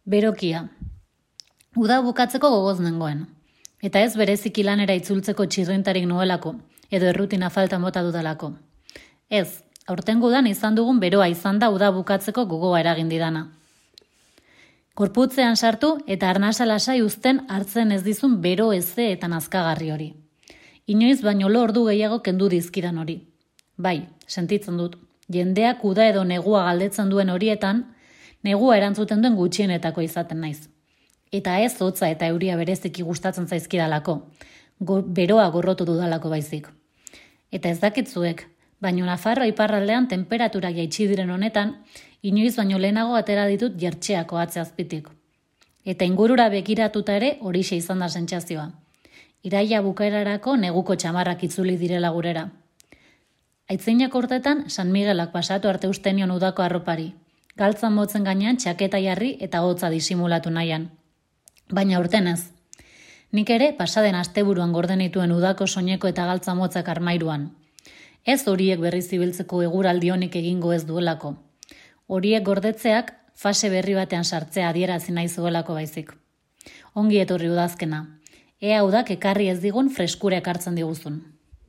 Berokia. Uda bukatzeko gogoz nengoen. Eta ez bereziki lanera itzultzeko txirrintarik nuelako, edo errutina falta mota dudalako. Ez, aurtengo udan izan dugun beroa izan da uda bukatzeko gogoa eragin didana. Korputzean sartu eta arnasa lasai uzten hartzen ez dizun bero eze eta nazkagarri hori. Inoiz baino lo ordu gehiago kendu dizkidan hori. Bai, sentitzen dut, jendeak uda edo negua galdetzen duen horietan, negua erantzuten duen gutxienetako izaten naiz. Eta ez hotza eta euria bereziki gustatzen zaizkidalako, beroa gorrotu dudalako baizik. Eta ez dakitzuek, baino Nafarroa iparraldean temperatura jaitsi diren honetan, inoiz baino lehenago atera ditut jertxeako atze azpitik. Eta ingurura begiratuta ere horixe izan da sentsazioa. Iraila bukaerarako neguko txamarrak itzuli direla gurera. Aitzeinak urtetan San Miguelak pasatu arte usten nion udako arropari. Galtzan motzen gainean txaketa jarri eta hotza disimulatu nahian. Baina urten ez. Nik ere pasaden asteburuan gorden dituen udako soineko eta galtza motzak armairuan. Ez horiek berriz ibiltzeko eguraldi honik egingo ez duelako. Horiek gordetzeak fase berri batean sartzea adierazi nahi zuelako baizik. Ongi etorri udazkena. Ea udak ekarri ez digun freskura ekartzen diguzun.